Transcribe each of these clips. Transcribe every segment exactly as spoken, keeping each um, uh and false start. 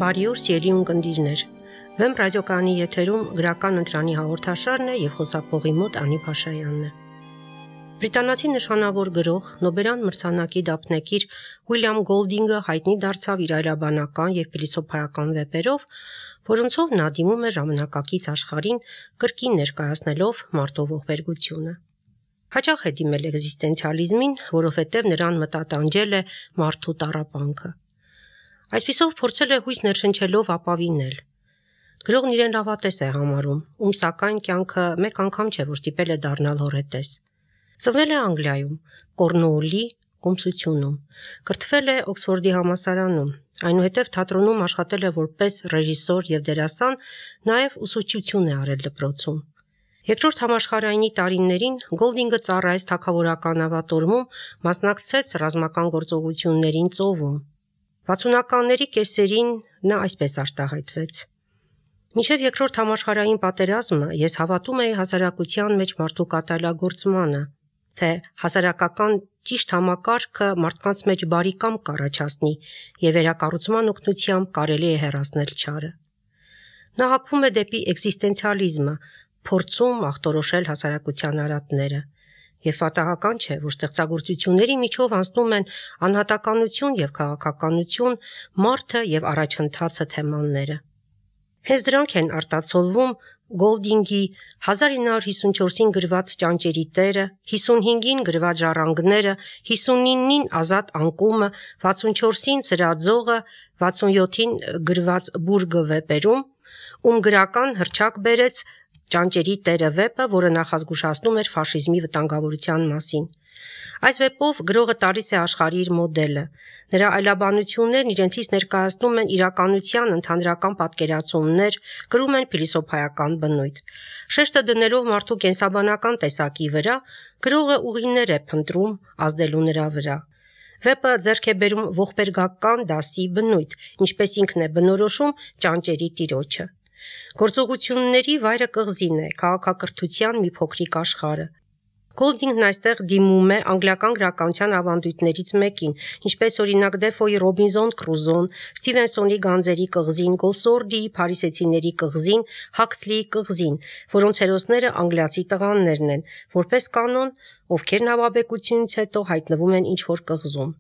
Բարի օր, սիրելի ունկնդիրներ։ Վեմ ռադիոկայանի եթերում գրական ընտրանի հաղորդաշարն է եւ խոսափողի մոտ Անի Փաշայանն է։ Բրիտանացի նշանավոր գրող, Նոբելյան մրցանակի դափնեկիր Ուիլյամ Գոլդինգը հայտնի դարձավ իր այլաբանական եւ փիլիսոփայական վեպերով, որոնցով նա դիմում է ժամանակակից աշխարհին կրկին ներկայացնելով մարդու ողբերգությունը։ Հաճախ է դիմել էգզիստենցիալիզմին, որովհետև նրան մտատանջել է մարդու տառապանքը։ Այսպիսով փորձել է հույս ներշնչելով ապավինել։ Գրողն իրեն լավատես է համարում, ում սակայն կյանքը մեկ անգամ չէ, որ ստիպել է դառնալ հոռետես։ Ծնվել է Անգլիայում, Կորնուոլի կոմսությունում, կրթվել է Օքսֆորդի համալսարանում, այնուհետև թատրոնում աշխատել է որպես ռեժիսոր եւ դերասան, նաեւ ուսուցչություն է արել դպրոցում։ Երկրորդ համաշխարհայինի տարիներին Գոլդինգը ծառայեց թագավորական նավատորմում, մասնակցեց ռազմական գործողություններին ծովում։ վաթսունականների կեսերին նա այսպես արտահայտվեց. Մինչև երկրորդ համաշխարհային պատերազմը ես հավատում էի հասարակության մեջ մարդու կատարելագործմանը, թե հասարակական ճիշտ համակարգը մարդկանց մեջ բարի կամ կառաջացնի եւ վերակառուցման օգնությամբ կարելի է հեռացնել չարը։ Նա հակվում է դեպի էգզիստենցիալիզմը, փորձում ախտորոշել հասարակության արատները, եւ պատահական չէ, որ ստեղծագործությունների միջով անցնում են անհատականություն եւ քաղաքականություն, մարդը եւ առաջընթացը թեմաները։ Հենց դրանք են արտացոլվում Գոլդինգի հազար ինը հարյուր հիսունչորսին գրված Ճանճերի տերը, հիսունհինգին գրված Ժառանգները, հիսունինին Ազատ անկումը, վաթսունչորսին Սրաձողը, վաթսունյոթին գրված Բուրգը վեպերում, ում գրական հռչակ բերեց Ճանճերի տերը վեպը, որը նախազգուշացնում էր ֆաշիզմի վտանգավորության մասին։ Այս վեպով գրողը տալիս է աշխարհի իր մոդելը։ Նրա այլաբանություններն իրենցից ներկայացնում են իրականության ընդհանրական պատկերացումներ, կրում են փիլիսոփայական բնույթ։ Շեշտը դնելով մարդու կենսաբանական տեսակի վրա, գրողը ուղիներ է փնտրում ազդելու նրա վրա։ Վեպը ձեռք է բերում ողբերգական դասի բնույթ, ինչպես ինքն է բնորոշում Ճանճերի տիրոջը։ Գործողությունների վայրը կղզին է, քաղաքակրթության մի փոքրիկ աշխարհը։ Գոլդինգն այստեղ դիմում է անգլիական գրականության ավանդույթներից մեկին, ինչպես օրինակ Դեֆոյի Ռոբինզոն Կրուզոն, Սթիվենսոնի Գանձերի կղզին, Գոլսորդիի Փարիսեցիների կղզին, Հաքսլիի կղզին, որոնց հերոսները անգլիացի տղաներն են, որպես կանոն, ովքեր նավաբեկությունից հետո հայտնվում են ինչ-որ կղզում։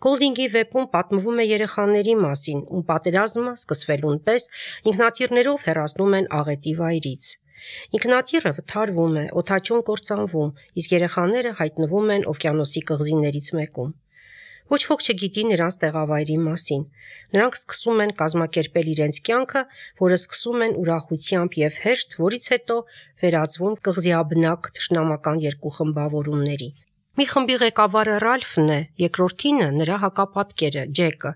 Գոլդինգի վեպում պատմվում է երեխաների մասին, ում պատերազմը սկսվելուն պես ինքնաթիռներով հեռացնում են աղետի վայրից։ Ինքնաթիռը վթարվում է, օդաչուն կործանվում, իսկ երեխաները հայտնվում են օվկիանոսի կղզիներից մեկում։ Ոչ ոք չգիտի նրանց տեղավայրի մասին։ Նրանք սկսում են կազմակերպել իրենց կյանքը, որը սկսում են ուրախությամբ եւ հեշտ, որից հետո վերածվում կղզիաբնակ թշնամական երկու խմբավորումների։ Մի խմբի ղեկավարը Ռալֆն է, երկրորդինը նրա հակապատկերը Ջեկը։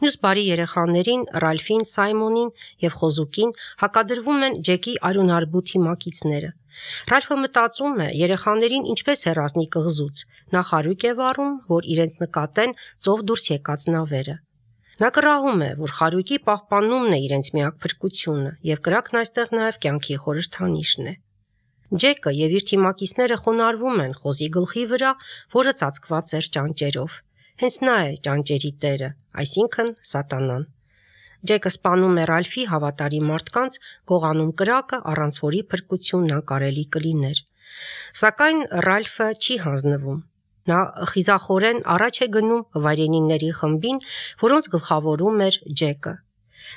Մյուս բարի երեխաներին Ռալֆին, Սայմոնին եւ Խոզուկին հակադրվում են Ջեկի արյունարբութի մակիցները։ Ռալֆը մտածում է երեխաներին ինչպես հեռացնի կղզուց։ Նա խարույկ է վառում, որ իրենց նկատեն ծով դուրս եկած նավերը։ Նա կռահում է, որ խարույկի պահպանումն է իրենց միակ փրկությունը, եւ կրակն այստեղ նաեւ կյանքի խորհրդանիշն է։ Ջեկը եւ իր թիմակիցները խոնարհվում են Խոզի գլխի վրա, որը ծածկված էր ճանճերով։ Հենց նա է ճանճերի տերը, այսինքն Սատանան։ Ջեկը սպանում է Ռալֆի հավատարիմ մարդկանց, գողանում կրակը, առանց որի փրկությունն անկարելի կլիներ։ Սակայն Ռալֆը չի հանձնվում։ Նա խիզախորեն առաջ է գնում վայրենիների խմբին, որոնց գլխավորում էր Ջեկը։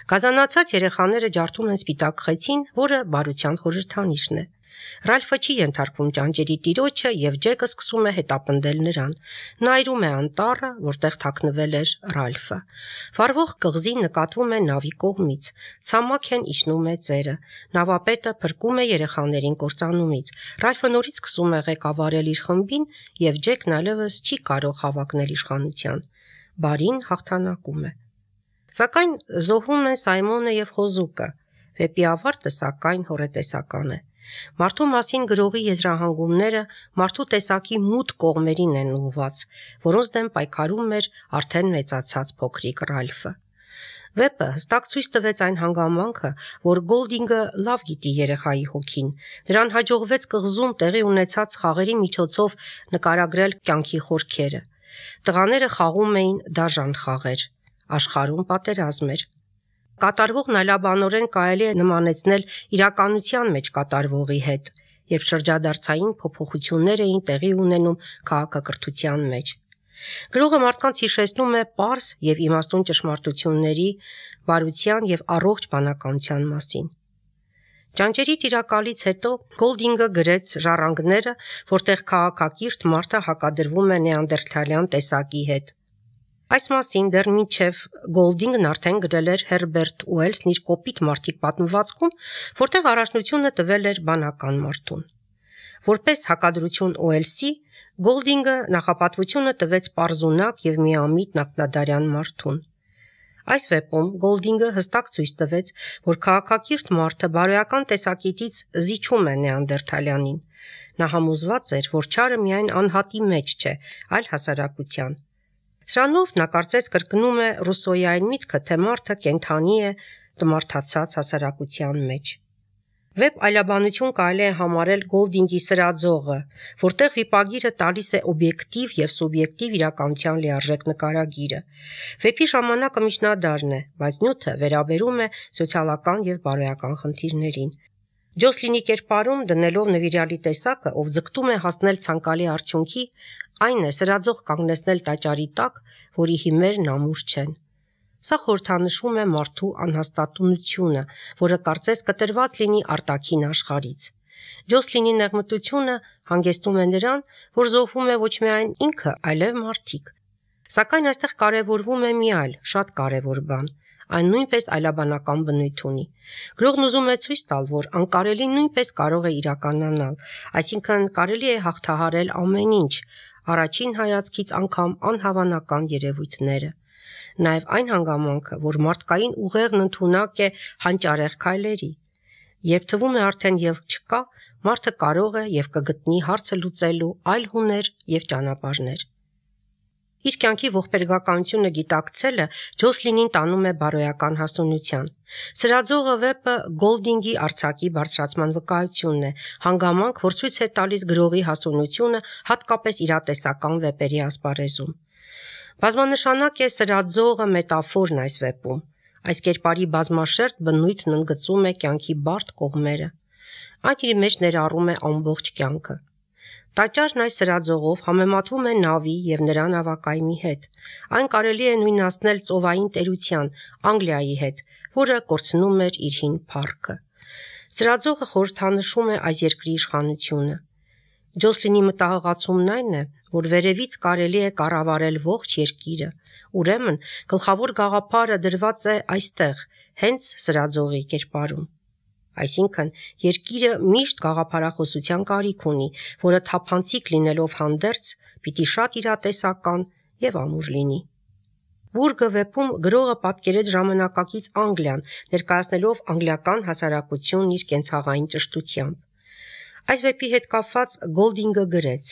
Գազանացած երեխաները ջարդում են սպիտակ խեցին, որը բարության խորհրդանիշն է։ Ռալֆը չի ենթարկվում ճանճերի տիրոջը եւ Ջեկը սկսում է հետապնդել նրան։ Նա այրում է անտառը, որտեղ թաքնվել էր Ռալֆը։ Վառվող կղզին նկատվում է նավի կողմից։ Ցամաք են իջնում է ծերը։ Նավապետը փրկում է երեխաներին կործանումից։ Ռալֆը նորից սկսում է ղեկավարել իր խմբին եւ Ջեկն այլևս չի կարող հավակնել իշխանության։ Բարին հաղթանակում է։ Սակայն զոհում են Սայմոնը եւ Խոզուկը։ Վեպի ավարտը սակայն հոռետեսական է։ Մարդու մասին գրողի եզրահանգումները մարդու տեսակի մութ կողմերին են ուղղված, որոնց դեմ պայքարում էր արդեն մեծացած փոքրիկ Ռալֆը։ Վեպը հստակ ցույց տվեց այն հանգամանքը, որ Գոլդինգը լավ գիտի երեխայի հոգին։ Նրան հաջողվեց կղզում տեղի ունեցած խաղերի միջոցով նկարագրել կյանքի խորքերը։ Տղաները խաղում էին դաժան խաղեր, աշխարհում պատերազմ էր։ կատարվողն այլաբանորեն կարելի է նմանեցնել իրականության մեջ կատարվողի հետ, երբ շրջադարձային փոփոխություններ էին տեղի ունենում քաղաքակրթության մեջ։ Գրողը մարդկանց հիշեցնում է պարզ եւ իմաստուն ճշմարտությունների, բարության եւ առողջ բանականության մասին։ Ճանճերի տիրակալից հետո Գոլդինգը գրեց ժառանգները, որտեղ քաղաքակիրթ մարդը հակադրվում է նեանդերթալյան տեսակի հետ։ Այս մասին դեռ մինչև Գոլդինգն արդեն գրել էր Հերբերտ Ուելսն իր կոպիտ մարդիկ պատմվածքում, որտեղ առաջնությունը տվել էր բանական մարդուն։ Որպես հակադրություն Ուելսի, Գոլդինգը նախապատվությունը տվեց պարզունակ եւ միամիտ նախնադարյան մարդուն։ Այս վեպում Գոլդինգը հստակ ցույց տվեց, որ քաղաքակիրթ մարդը բարոյական տեսակետից զիջում է նեանդերթալյանին։ Նա համոզված էր, որ չարը միայն անհատի մեջ չէ, այլ հասարակության։ Սրանով նա կարծես կրկնում է Ռուսոյի այն միտքը, թե մարդը կենդանի է տմարդացած հասարակության մեջ։ Վեպ այլաբանություն կարելի է համարել Գոլդինգի սրածողը, որտեղ վիպագիրը տալիս է օբյեկտիվ եւ սուբյեկտիվ իրականության լիարժեք նկարագիրը։ Վեպի ժամանակը միջնադարն է, բայց նյութը վերաբերում է սոցիալական եւ բարոյական խնդիրներին։ Ջոսլինի կերպարում դնելով նվիրյալի տեսակը, ով ձգտում է հասնել ցանկալի արդյունքի, այն է սրածող կանգնեցնել տաճարի տակ, որի հիմերն ամուր չեն։ Սա խորհրդանշում է մարդու անհաստատունությունը, որը կարծես կտրված լինի արտաքին աշխարհից։ Ջոսլինի նեղմտությունը հանգեցնում է նրան, որ զոհվում է ոչ միայն ինքը, այլև մարդիկ։ Սակայն այստեղ կարևորվում է մի այլ, շատ կարևոր բան։ Այն նույնպես այլաբանական բնույթ ունի։ Գրողն ուզում է ցույց տալ, որ անկարելի նույնպես կարող է իրականանալ, այսինքն կարելի է հաղթահարել ամեն ինչ, առաջին հայացքից անգամ անհավանական երևույթները։ Նաև այն հանգամանքը, որ մարդկային ուղեղն ընդունակ է հանճարեղ քայլերի։ Երբ թվում է արդեն ելք չկա, մարդը կարող է եւ կգտնի հարցը լուծելու այլ հուներ եւ ճանապարհներ։ Իր կյանքի ողբերգականությունը գիտակցելը Ջոսլինին տանում է բարոյական հասունության։ Սրածողը վեպը Գոլդինգի արձակի բարձրացման վկայությունն է, հանգամանք, որ ցույց է տալիս գրողի հասունությունը հատկապես իրատեսական վեպերի ասպարեզում։ Բազմանշանակ է սրածողը մետաֆորն այս վեպում։ Այս կերպարի բազմաշերտ բնույթն ընդգծում է կյանքի բարդ կողմերը։ Այդ իր մեջ ներառում է ամբողջ կյանքը։ Տաճարն այս սրածողով համեմատվում է նավի եւ նրա նավակայմի հետ։ Այն կարելի է նույնացնել ծովային տերության Անգլիայի հետ, որը կորցնում էր իր հին փառքը։ Սրածողը խորհրդանշում է այս երկրի իշխանությունը։ Ջոսլինի մտահղացումն այն է, որ վերևից կարելի է կառավարել ողջ երկիրը, ուրեմն գլխավոր գաղափարը դրված է այստեղ, հենց սրածողի կերպարում։ Այսինքն, երկիրը միշտ գաղափարախոսության կարիք ունի, որը թափանցիկ լինելով հանդերձ, պիտի շատ իրատեսական եւ ամուր լինի։ Բուրգը վեպում գրողը պատկերեց ժամանակակից Անգլիան, ներկայացնելով անգլիական հասարակությունն իր կենցաղային ճշտությամբ։ Այս վեպի հետ կապված Գոլդինգը գրեց.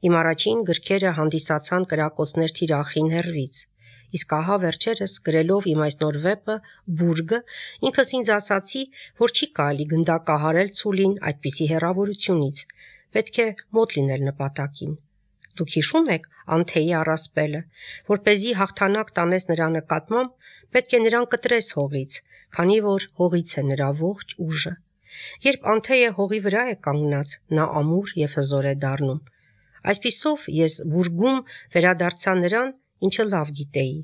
«Իմ առաջին գրքերը հանդիսացան կրակոցներ թիրախին հեռվից, իսկ ահա վերջերս գրելով իմ այս նոր վեպը Բուրգը, ինքս ինձ ասացի, որ չի կարելի գնդակահարել ցուլին այդպիսի հեռավորությունից, պետք է մոտ լինել նպատակին։ Դուք հիշում եք Անթեի առասպելը, որպեսզի հաղթանակ տանես նրա նկատմամբ, պետք է նրան կտրես հողից, քանի որ հողից է նրա ողջ ուժը։ Երբ Անթեյը հողի վրա է կանգնած, նա ամուր եւ հզոր է դառնում։ Այսպիսով ես Բուրգում վերադարձա նրան, ինչը լավ գիտեի։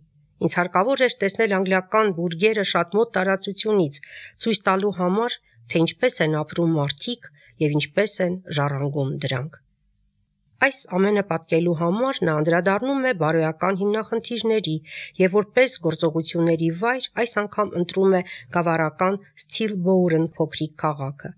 Ինձ հարկավոր էր տեսնել անգլիական բուրգերը շատ մոտ տարածությունից, ցույց տալու համար, թե ինչպես են ապրում մարդիկ եւ ինչպես են ժառանգում դրանք։ Այս ամենը պատկելու համար նա անդրադառնում է բարոյական հիմնախնդիրների եւ որպես գործողությունների վայր այս անգամ ընտրում է գավառական Սթիլբոուրն փոքրիկ քաղաքը։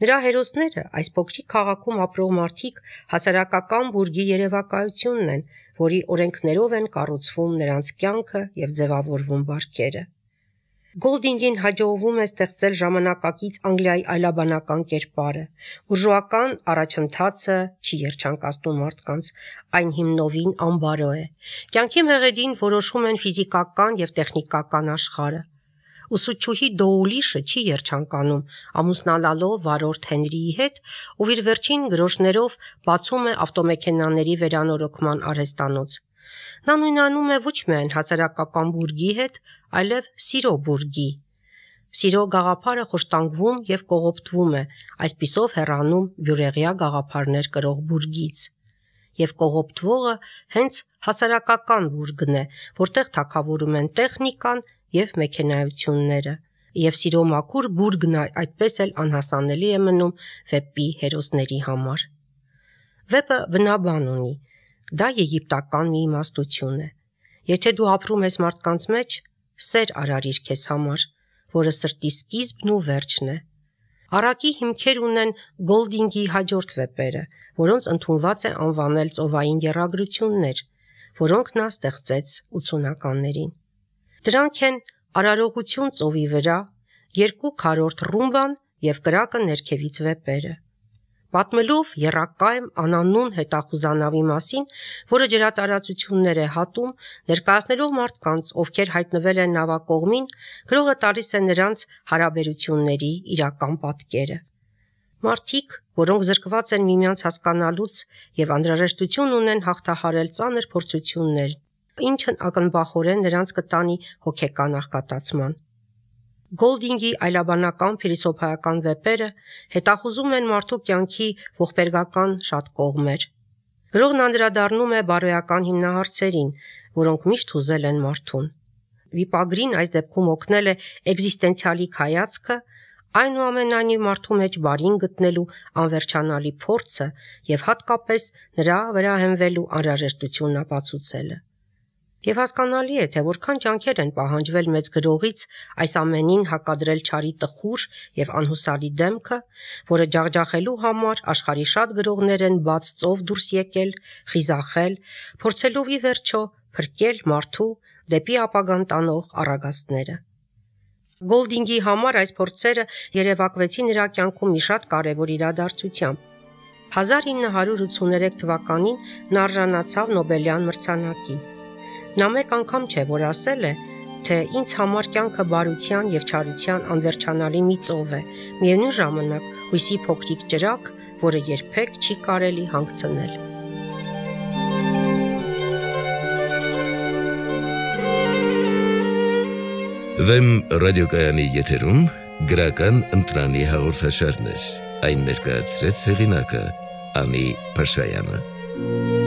Նրա հերոսները այս փոքրիկ քաղաքում ապրող մարդիկ հասարակական բուրգի երևակայությունն են, որի օրենքներով են կառուցվում նրանց կյանքը եւ ձևավորվում բարքերը։ Գոլդինգին հաջողվում է ստեղծել ժամանակակից Անգլիայի այլաբանական կերպարը։ Բուրժուական առաջընթացը չի երջանկացնում մարդկանց, այն հիմնովին անբարո է։ Կյանքի մեղեդին որոշում են ֆիզիկական եւ տեխնիկական աշխարհը։ Ուսուցչուհի Դոուլիշը չի երջանկանում, ամուսնալալով վարորդ Հենրիի հետ, ով իր վերջին գրոշներով բացում է ավտոմեքենաների վերանորոգման արհեստանոց։ Նա նույնանում է ոչ միայն հասարակական բուրգի հետ, այլև սիրո բուրգի։ Սիրո գաղափարը խոշտանգվում եւ կողոպտվում է, այսպիսով հեռանում բյուրեղյա գաղափարներ կրող բուրգից։ Եվ կողոպտվողը հենց հասարակական բուրգն է, որտեղ թագավորում են տեխնիկան եւ մեքենայությունները, եւ սիրո մաքուր բուրգն այդպես էլ անհասանելի է մնում վեպի հերոսների համար։ Վեպը բնաբան ունի, դա եգիպտական մի իմաստություն է։ Եթե դու ապրում ես մարդկանց մեջ, սեր արարիր քեզ համար, որը սրտի սկիզբն ու վերջն է։ Առակի հիմքեր ունեն Գոլդինգի հաջորդ վեպերը, որոնց ընդունված է անվանել ծովային եռագրություններ, որոնք նա ստեղծեց ութսունականներին։ Դրանք են Արարողություն ծովի վրա, Երկու քառորդ ռումբան եւ Կրակը ներքևից վեպերը։ Պատմելով եռակայմ անանուն հետախուզանավի մասին, որը ջրատարածություններ է հատում, ներկայացնելով մարդկանց, ովքեր հայտնվել են նավակողմին, գրողը տալիս է նրանց հարաբերությունների իրական պատկերը։ Մարդիկ, որոնք զրկված են միմյանց հասկանալուց եւ անհրաժեշտություն ունեն հաղթահարել ծանր փորձություններ, ինչն ակնբախորեն նրանց կտանի հոգեկան աղքատացման։ Գոլդինգի այլաբանական փիլիսոփայական վեպերը հետախուզում են մարդու կյանքի ողբերգական շատ կողմեր։ Գրողն անդրադառնում է բարոյական հիմնահարցերին, որոնք միշտ հուզել են մարդուն։ Վիպագրին այս դեպքում օգնել է էգզիստենցիալի հայացքը, այնուամենայնիվ մարդու մեջ բարին գտնելու անվերջանալի փորձը եւ հատկապես նրա վրա հենվելու անհրաժեշտությունն ապացուցելը։ Եվ հասկանալի է, թե որքան ջանքեր են պահանջվել մեծ գրողից այս ամենին հակադրել չարի տխուր եւ անհուսալի դեմքը, որը ջախջախելու համար աշխարհի շատ գրողներ են բաց ծով դուրս եկել, խիզախել, փորձելով ի վերջո փրկել մարդու դեպի ապագան տանող առագաստները։ Գոլդինգի համար այս փորձերը երևակվեցին նրա կյանքում մի շատ կարևոր իրադարձությամբ։ հազար ինը հարյուր ութսուներեք թվականին նա արժանացավ Նոբելյան մրցանակի։ Նա մեկ անգամ չէ, որ ասել է, թե ինձ համար կյանքը բարության եւ չարության անվերջանալի մի ծով է, միևնույն ժամանակ հույսի փոքրիկ ճրագ, որը երբեք չի կարելի հանգցնել։ Վեմ ռադիոկայանի եթերում գրական ընտրանի հաղորդաշարներ, այն ներկայացրեց հեղինակը Անի Փաշայանը։